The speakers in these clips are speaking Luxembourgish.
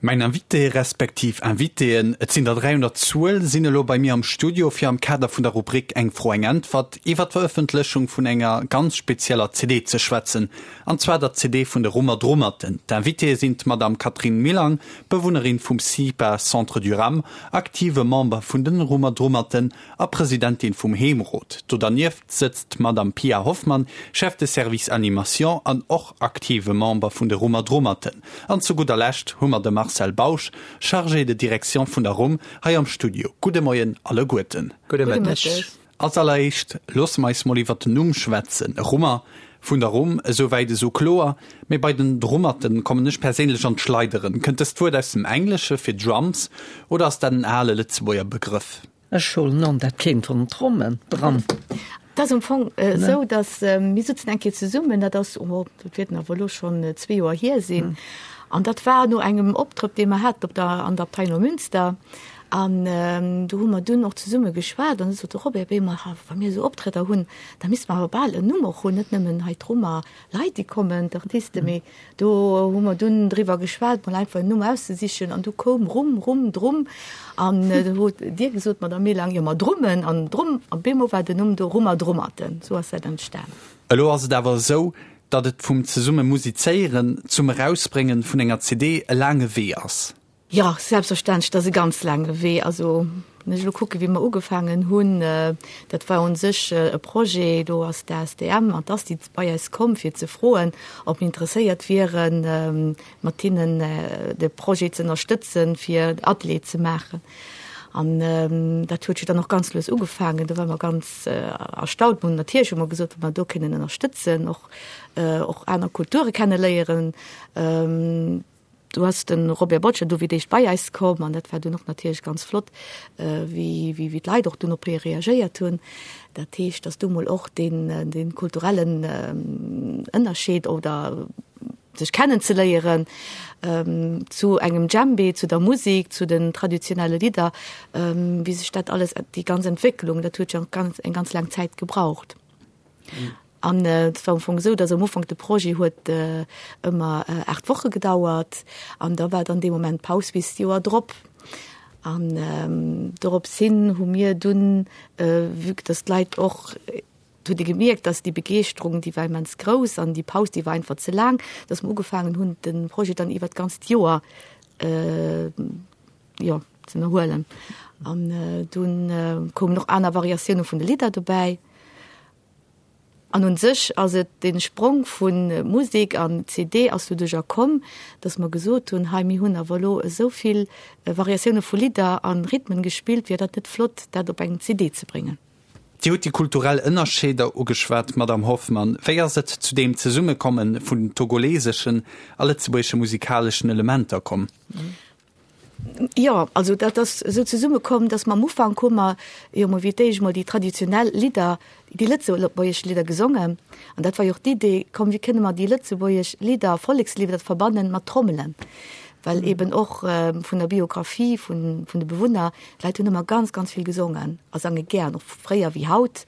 Mäin Invité, respektiv Invitéen, et sinn der 3 un der Zuel, sinn elo bei mir am Studio, fir am Kader vun der Rubrik Eng Fro, eng Äntwert iwwer d'Verëffentlechung vun enger ganz spezieller CD ze schwätzen, an zwar der CD vun de Rummer Drummerten. D'Invitéë sinn d'Madame Catherine Millang, Bewunnerin vum CIPA Centre du Rham, aktive Member vun den Rummer Drummerten a Presidentin vum Heemrot. Do dernieft sëtzt d'Madame Pia Hoffmann, Chef de Service Animation an och aktive Member vun de Rummer Drummerten. An zu gudder Lescht hu mer de Marcel Bausch, Chargé de Direction vun der Rumm, hei am Studio. Gudde Moien alleguerten. Gudde Mëtteg. Als alleréischt loosse mer eis mol iwwert den Numm schwätzen. Rummer, vun der Rumm, esou wäit esou kloer. Mee bei den Drummerten kommen ech perséinlech an d'Schleideren. Kënnt dëst Wuert aus dem Englesche fir Drums oder ass dat en ale Lëtzebuerger Begrëff? Ech huelen an, dat kéint vun den Trommen dran. Et ass am Fong esou, datt mir sutzen eng Kéier zesummen, dat ass, oh, dat wäerten awer elo schonn zwee Joer hier sinn, an dat war no engem Optrëtt, dee mer haten op der, an der Abtei Neumünster. An do hu mer dunn och zesumme geschwat an du sot de Robert, Béi mer, wa mir esou Optrëtter hunn, da misste mer awer bal en Numm och hunn, net nëmmen hei d'Rummer Leit, déi kommen, d'Artisten, mee do hu mer dunn driwwer geschwat, mol einfach en Numm auszesichen an du koum Rumm, Rumm, Drumm an du hutt Dir gesot, Madame Millang, jo ma Drummen an Drumm an bemol war den Numm do, Rummer Drummerten, sou ass dat entstan. Elo ass et awer esou, datt et vum zesumme musizéieren zum Erausbréngen vun enger CD e laange Wee ass. Jo, selbstverständlech, dat ass e ganz laange Wee. Also, wann ech elo kucke wéi mer ugefaangen hunn, dat war u sech e Projet, do ass d'ASTM an d'ASTI bei eis komm fir ze froen, ob mir interesséiert wieren, mat hinnen de Projet ze ënnerstëtzen, fir Atelier ze maachen. An dat huet jo dann och ganz lues ugefaangen. Do ware mer ganz erstaunt. Mer hunn natierlech hu mer gesot, wa mer do kënnen ënnerstëtzen, och och aner Kulture kenneléieren. Do ass de Robert Boccia du fir d'éischt bei eis komm an dat war dunn och natierlech ganz flott, wéi wéi d'Leit och dunn op hie reagéiert hunn. Dat heescht, datt du mol och deen dee kulturellen Ënnerscheed oder sech kennenzeléieren zu engem Djembe, zu der Musik, zu den traditionelle Lidder, wéi sech dat alles, déi ganz Entwécklung, dat huet jo ganz eng ganz laang Zäit gebraucht. An et war am Fong esou, datt am Ufank de Projet huet ëmmer 8 Woche gedauert an da war dann dee Moment Paus bis d'Joer drop. An dorops hin hu mir dunn, vue que datt d'Leit och, et huet ee gemierkt, datt déi Begeeschterung, déi war immens grouss an déi Paus, déi war einfach ze laang, datt mer ugefaangen hunn, de Projet dann iwwer d'ganzt Joer, jo, ze ënnerhuelen. An dunn koumen och aner Variatioune vun de Lidder dobäi. An un sech ass et dee Sprong vu Musek an CD ass doduercher komm, datt mer gesot hunn, hei mir hunn awer elo esou vill Variatioune vu Lidder a Rhythmen gespillt, wier dat net flott, dat op eng CD ze bréngen? Dir hutt déi kulturell Ënnerscheeder ugeschwat, Madamm Hoffmann. Wéi ass et zu deem Zesummekomme vun den togoleseschen a lëtzebuergesche musikaleschen Elementer komm? Jo, also dat ass esou zesummekomm, datt mer am Ufank hu mer jo mol fir d'éischt mol déi traditionell Lidder, déi lëtzebuergesch Lidder gesongen. An dat war jo och d'Idee, komm wéi kënne mer déi lëtzebuergesch Lidder, Vollekslidder verbannen mat Trommelen, well eben och vun der Biographie vun vun de Bewunner, d'Leit hunn ëmmer ganz, ganz vill gesongen a sange gär, och fréier wéi haut.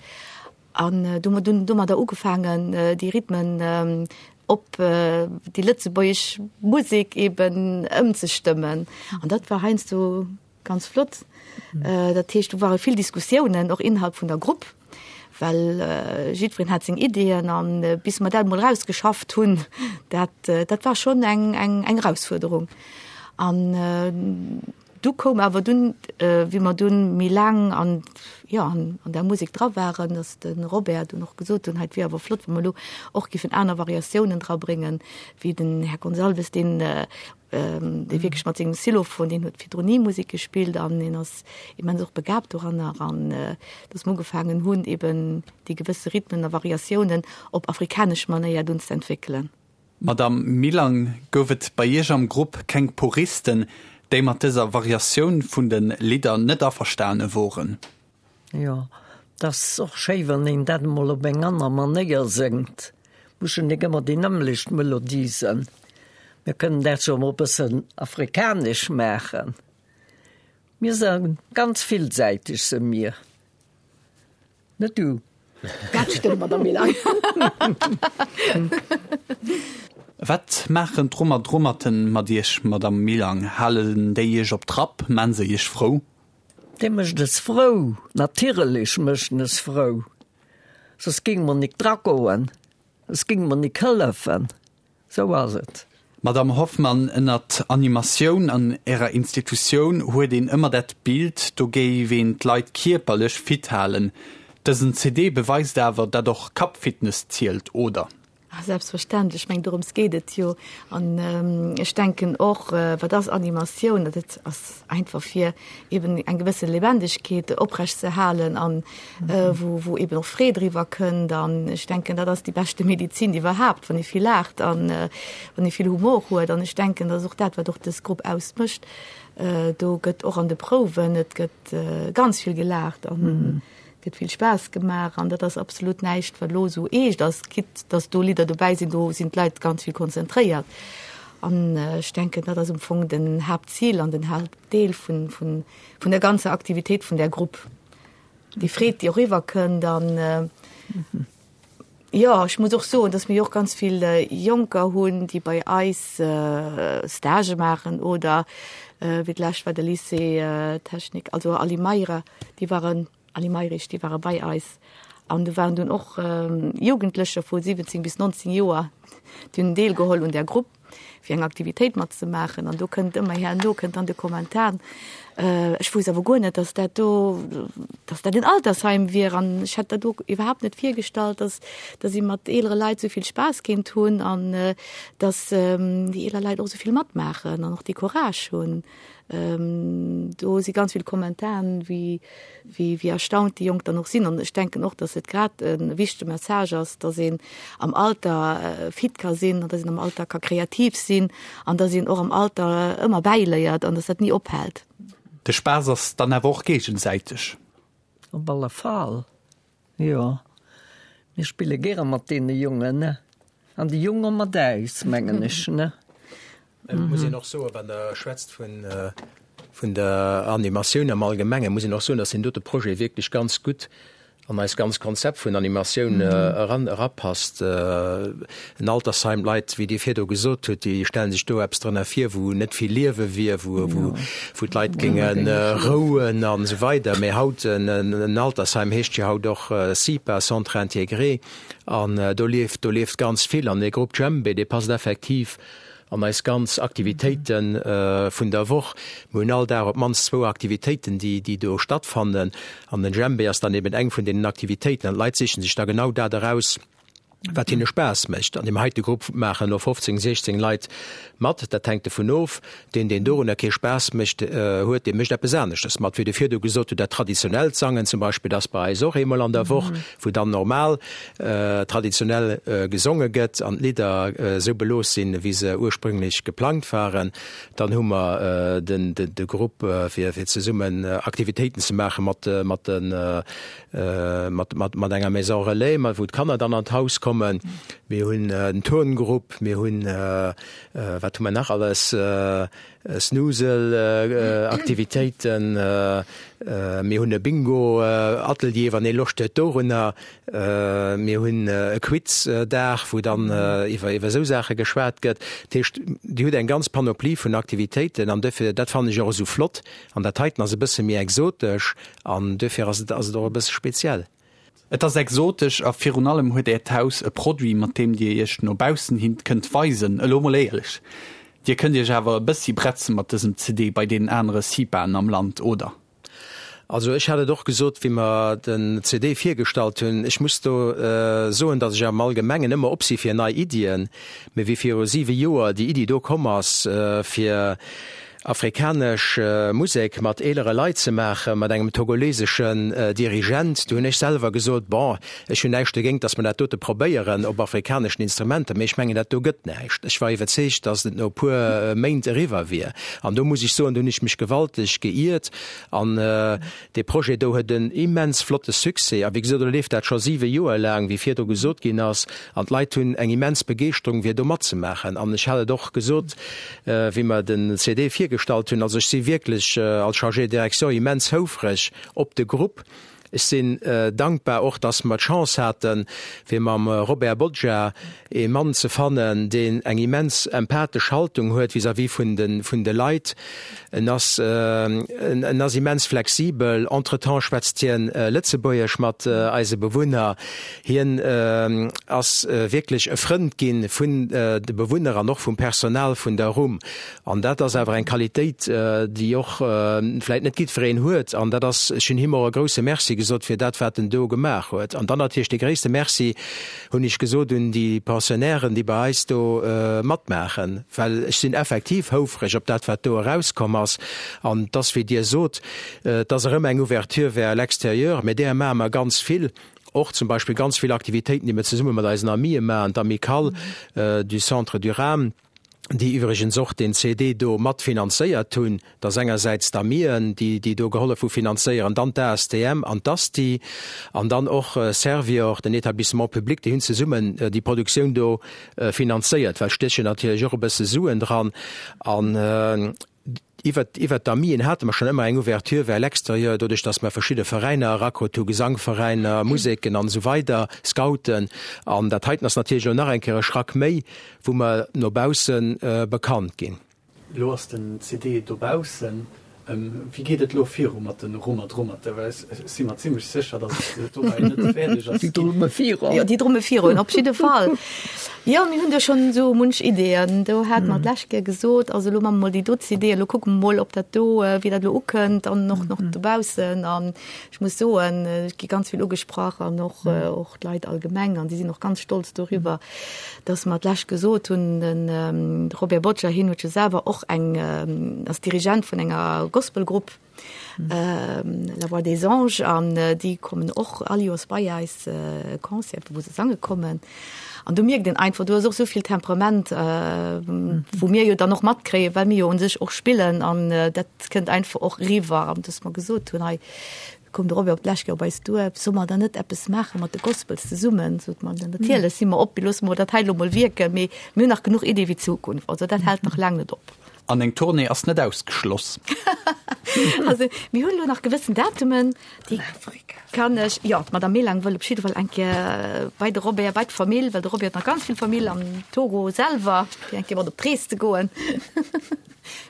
An du hu mer dunn domadder ugefaangen, déi Rhythmen op déi lëtzebuergesch Musek eben ëmzestëmmen. An dat war heiansdo ganz flott. Dat heescht, do ware vill Diskussiounen, och innerhalb vun der Grupp, well jiddwereen hat seng Ideeën. An bis mer dat emol erausgeschafft hunn, dat, dat war schonn eng, eng, eng Erausfuerderung. An Du koum awer dunn, wéi mer dunn méi laang an, jo, an der Musek dra waren, datt de Robert dunn och gesot hunn, hei, et wier awer flott, wa mer elo och giffen aner Variatiounen drabréngen, wéi den Här Gonçalves, deen, dee wierklech mat sengem Xylophon, deen huet virdrun ni Musek gespillt an deen ass immens och begabt doranner an datt mer ugefaangen hunn, eben déi gewësse Rhythmen a Variatiounen op afrikanesch Manéier dunn ze entwéckelen. Madamm Millang, gouf et bei Iech am Grupp keng Puristen, déi mat dëser Variatioun vun de Lidder net averstane woren? Jo, 't ass och schéi, wann een dat emol op eng aner Manéier séngt. Muss jo nik ëmmer déi nëmmlecht Melodie sënn. Mir kënnen dat jo emol e bëssen afrikanesch maachen. Mir se ganz villsäiteg se mir. Net du. Dat stëmmt, Madame Millang. Wat maachen d'Rummer Drummerten mat Iech, Madame Milang? Halen déi Iech op Trapp? Maan se Iech frou? Dee mécht es frou, natierlech mécht en es frou, soss géinge mer nik dragoen, soss géinge mer nik hëllefen, sou ass et. Madame Hoffmann, ënnert Animatioun an Ärer Institutioun huet een ëmmer dat Bild, do géif een d'Leit kierperlech fit halen. Dësen CD beweist awer, dat och Kappfitness zielt, oder? Ah, selbstverständlech, ech mengen dorëms geet et jo. An ech denken och, wat ass Animatioun? Dat ass einfach fir eben eng gewësse Lebendigkeet oprecht ze halen an wou, wou eben och Freed eriwwer kënnt. An ech denken, dat ass déi beschte Medizin iwwerhaapt, wann ee vill laacht an wann ee vill Humor huet. An ech denken, dat ass och dat, wat och dës Grupp ausmécht. Do gëtt och an de Prouwen, et gëtt ganz vill gelaacht an gëtt vill Spaass gemaach an dat ass absolut näischt, wat elo esou eescht ass, quitte dass do Lidder dobäi sinn, do sinn d'Leit ganz vill konzentréiert. An ech denken, dat ass am Fong den Haaptzil an den Haaptdeel vun, vun, vun der ganzer Aktivitéit vun där Grupp. Déi Freed, déi och eriwwerkënnt an jo, ech muss och soen, dass mir jo och ganz vill Jonker hunn, déi bei eis Stagë maachen oder wéi d'lescht war de Lycée technique, also Ali Meira, déi waren, Ali Mayrisch, déi ware bei eis an do waren dunn och Jugendlecher vu 17 bis 19 Joer, déi hunn deelgeholl un där Grupp, fir eng Aktivitéit matzemaachen. An do kënnt ëmmer herno kënnt dann de Kommentar, Ech wousst awer guer net, datt dat do, datt dat en Altersheim wier an ech hätt dat do iwwerhaapt net virgestallt, datt, datt ee mat eelere Leit esou vill Spaass kéint hunn an datt déi eeler Leit och esou vill matmaachen an och dee Courage hunn. Do si ganz vill Kommentaren, wéi, wéi, wéi erstaunt déi Jonk dann och sinn. An ech denken och, datt et grad e wichtege Message ass, datt een am Alter fit ka sinn an datt een am Alter ka kreativ sinn an datt een och am Alter ëmmer bäiléiert an datt dat ni ophält. De Spaass ass dann awer och géigesäiteg. Op alle Fall, jo. Mir spille gäre mat deene Jongen, ne? An déi Jonge mat äis, mengen ech, ne? Et muss een och soen, wann Der schwätzt vun, vun der Animatioun am Allgemengen, muss een och soen, dass deen dote Projet wierklech ganz gutt an eist ganz Konzept vun Animatioun eran, erapasst. En Altersheim, d'Leit, wéi Dir virdu gesot hutt, déi stelle sech do eppes drënner vir, wou net vill Liewe wier, wou, wou, wou d'Leit géinge rouen an esou weider. Mee haut, en Altersheim heescht jo haut och CIPA, Centre intégré, an do lieft, do lieft ganz vill. An dee Grupp Djembé, dee passt effektiv an eis ganz Aktivitéite vun der Woch. Mir hunn all Dag op d'mannst zwou Aktivitéiten, déi, déi do stattfannen. An den Djembé ass dann eben eng vun deenen Aktivitéiten. An d'Leit sichen sech da genau dat eraus, wat hinne Spaass mécht. An deem heite Grupp maachen elo 15, 16 Leit mat. Dat hänkt dovun of. Deen, deen dorunner kee Spaass mécht, huet, dee mécht eppes aneschtes mat. Wéi de virdu gesot hutt, dat traditionellt Sangen zum Beispill, dat ass bei eis och eemol an der Woch, wou dann normal traditionell gesonge gëtt an d'Lidder esou belooss sinn, wéi se ursprünglech geplangt waren. Dann hu mer de Grupp, fir zesummen Aktivitéiten ze maache mat mat mat enger Maison relais, wou d'Kanner dann an d'Haus kommen. Mir hunn en Turngrupp, mir hunn, wat hu mer nach alles? Snusel-Aktivitéiten, mir hunn e Bingo-Atelier, wann ee Loscht huet dorunner, mir hunn e Quiz-Dag, wou dann iwwer iwwer esou Saache geschwat gëtt. Dat heescht, Dir hutt eng ganz Panoplie vun Aktivitéiten an duerfir, dat fannen ech och esou flott an dat heiten ass e bësse méi exotesch an duerfir ass et ass et och e bësse speziell. Et ass exotesch a virun allem huet Äert Haus e Produit, mat deem Dir Iech no baussen hin kënnt weisen. Elo mol éierlech, Dir kënnt Iech awer e bëssi bretze mat dësem CD bei deenen anere CIPAen am Land, oder? Also ech hat et och gesot, wéi mer den CD virgestallt hunn, ech muss do soen, datt ech am Allgemengen ëmmer op si fir nei Iddien, mee wéi viru siwe Joer déi Iddi do komm ass, fir Afrikanesch Musek mat eelere Leit ze maachen, mat engem togoleseschen Dirigent. Do hunn ech selwer gesot, Bon, ech hunn näischt dogéint, datt mer dat dote probéieren op afrikaneschen Instrumenter, mee ech mengen, dat do gëtt näischt. Ech war iwwerzeegt, datt et no e puer Méint eriwwer wier. An do muss ech soen, do hunn ech mech gewalteg geiert. An Dee Projet do huet en immens flotte Succès. A wéi gesot, elo leeft dat scho siwe Joer laang, wéi virdru gesot ginn ass, an d'Leit hunn eng immens Begeeschterung, fir do matzemaachen. An ech hat et och gesot, wéi mer den CD virgestallt hunn, also ech si wierklech als Chargé de direction immens houfreg op de Grupp. Ech sinn dankbar och, dass mer d'Chance haten, fir mam Robert Boggia ee Mann ze fannen, deen eng immens empathesch Haltung huet vis-à-vis vun de, vun de Leit. En ass, en ass immens flexibel. Entretemps schwätzt hien Lëtzebuergesch mat eise Bewunner. Hien ass wierklech e Frënd gi vun de Bewunner an och vum Personal vun der Rumm. An dat ass awer eng Qualitéit, déi och vläit net jiddwereen huet. An dat ass, ech hunn him och e grouse Merci gesot fir dat, wat en do gemaach huet. An dann natierlech dee gréisste Merci hunn ech gesot un déi Pensionnairen, déi bei eis do matmaachen, well ech sinn effektiv houfreg op dat, wat do erauskomm ass. An et ass, wéi Dir sot, et ass erëm eng Ouverture vers l'extérieur, mä där maache mer ganz vill. Och zum Beispill ganz vill Aktivitéiten, déi mer zesumme mat eisen Amië maachen, d'Amicale du Centre du Rham, déi iwwregens och deen CD do mat finanzéiert hunn, dat ass engersäits d'Amien, déi déi do gehollef hu finanzéieren, dann d'ASTM an d'ASTI an dann och Servior, den Établissement public, déi hunn zesummen déi Produktioun do finanzéiert, well stéchen natierlech och e bësse Suen dran. An Iwwert, iwwert d'Amien hate mer schonn ëmmer eng Ouverture vers l'extérieur, doduerch datt mer verschidde Veräiner erakrut hu, Gesangveräiner, Museken an esou weider, Scouten. An dat heiten ass natierlech elo nach eng Kéier e Schrack méi, wou mer no bausse bekannt ginn. Elo ass den CD dobaussen. Wéi geet et elo viru mat de Rummer Drummerte? Well ech si mer zimlech sécher, datt et dobäi net fäerdeg ass. Déi drumme virun. Jo, déi drumme virun, op jidde Fall. Jo, mir hunn do schonn esou munch Ideeën. Do hate mer d'lescht Kéier gesot, also elo maache mer mol déi do CD, elo kucke mer mol, ob dat do, wéi dat elo ukënnt an och nach dobaussen. An ech muss soen, ech gi ganz vill ugesprach an och, och d'Leit allgemeng an déi sinn och ganz stolz doriwwer, dass mer d'lescht gesot hunn, den Robert Boccia, hien huet jo selwer och eng, ass Dirigent vun enger Gospelgrupp, La Voix des Anges, an déi kommen och all Joers bei eis e Concert, wou se sange kommen. An do mierkt een einfach, do ass och esou vill Temperament, wou mir jo dann och matkréien, well mir jo un sech och spillen an dat kënnt einfach och eriwwer. An dass mer gesot hunn, hei, Koum de Robert op d'lescht Kéier op eis duer, Solle mer dann net eppes maache mat de Gospels zesummen? Sot mer, Natierlech si mer op, loosse mer dat hei elo mol wierken, mee mir hunn nach genuch Iddie fir d'Zukunft. Also dat hält nach laang net op. An eng Tournée ass net ausgeschloss. Also mir hunn elo nach gewëssen Datumen, déi kann ech, jo, d'Madame Melang wëll op jidde Fall eng Kéier bei de Robert, bei d'Famill, well de Robert huet nach ganz vill Famill am Togo selwer, fir eng Kéier mat op d'Rees ze goen.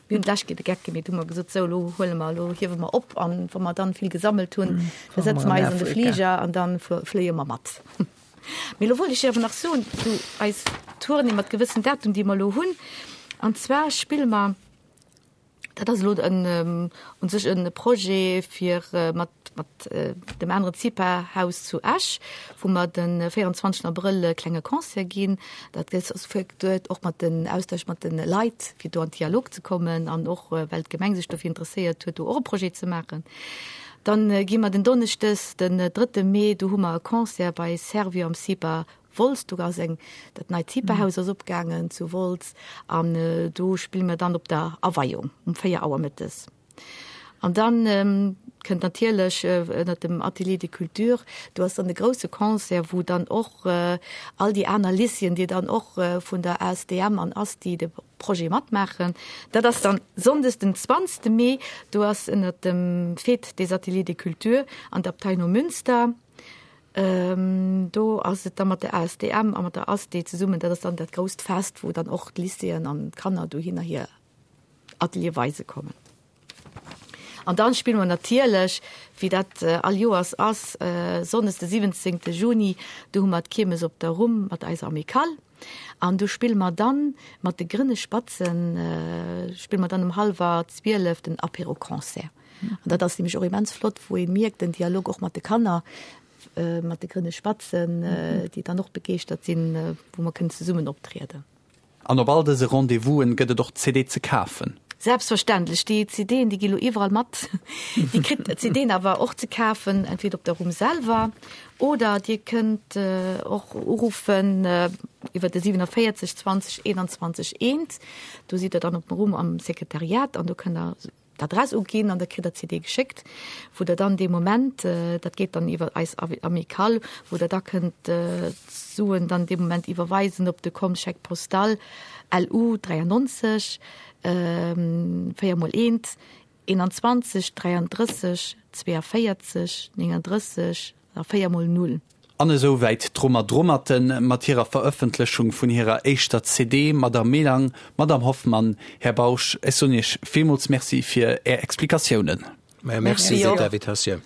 Mir hunn d'lescht Kéier de Geck gemeet, hu mer gesot, sou elo huele mer, elo hiewe mer op an wa mer dann vill gesammelt hunn, da setze mer eis an de Fliger an dann fléie mer mat. Mee elo wollt ech awer nach soen, zu eis Tournée mat gewëssen Datum, déi mer elo hunn, an zwar spille mer, dat ass elo en u sech e Projet fir mat mat dem aneren CIPA-Haus zu Esch, wou mer de 24 Abrëll e klenge Concert ginn. Dat ass geduet och mat den Austausch mat de Leit, fir do an Dialog ze kommen an och well d'Gemeng sech dofir interesséiert huet, do och e Projet ze maachen. Dann gi mer den Donneschdes, den drëtte Mee, do hu mer e Concert bei Servior am CIPA Wolz. Do ass eng, dat neit CIPA-Haus ass opgaangen zu Wolz an do spille mer dann op der Aweiung um 4 Auer mëttes. An dann kënnt natierlech ënnert dem Atelier de Culture, do ass dann de grouse Concert, wou dann och all déi aner Lycéeën, déi dann och vun der ASTM an ASTI de Projet matmaachen. Dat ass dann sonndes den 20. Mee, do ass ënnert dem Fête des Ateliers de Culture an der Abtei Neumünster. Do ass et da mat der ASTM a mat der ASTI zesummen, dat ass dann dat grousst Fest, wou dann och d'Lycéeën an d'Kanner dohinner hir Atelier weise kommen. An dann spille mer natierlech, wéi dat all Joers ass, Sonndes de 17. Juni, do hu mer d'Kiermes op der Rumm mat eiser Amicale. An do spille mer dann mat de Grënne Spatzen, spille mer dann um hallwer 12 den Apéro-Concert. An dat ass nämlech och immens flott, wou ee mierkt, den Dialog och mat de Kanner, mat de Grënne Spatzen, déi dann och begeeschtert sinn, wou mer kënnen zesummen optrieden. An op all dëse Rendez-vousen gëtt et och d'CD ze kafen. Selbstverständlech, déi CDen, déi gi lo iwwerall mat. Dir kritt d'CDen awer och ze kafen, entweder op der Rumm selwer oder Dir kënnt och uruffen iwwer de 47 20 21 1. Do sidd Der dann op der Rumm am Sekretariat an do kënnt Der d'Adress uginn an da kritt der d'CD geschéckt, wou der dann dee Moment, dat geet dann iwwer eis Amicale, wou der da kënnt d'Suen dann dee Moment iwwerweisen op de Compte Chèque postal LU 93 4 mol 1. 21 33 42 39 a 4 mol 0. An esou wäit d'Rummer Drummerten mat hirer Verëffentlechung vun hirer éischter CD. Madame Melang, Madame Hoffmann, Här Bausch, ech soen Iech villmools Merci fir Är Explikatiounen. Merci fir d'Invitatioun.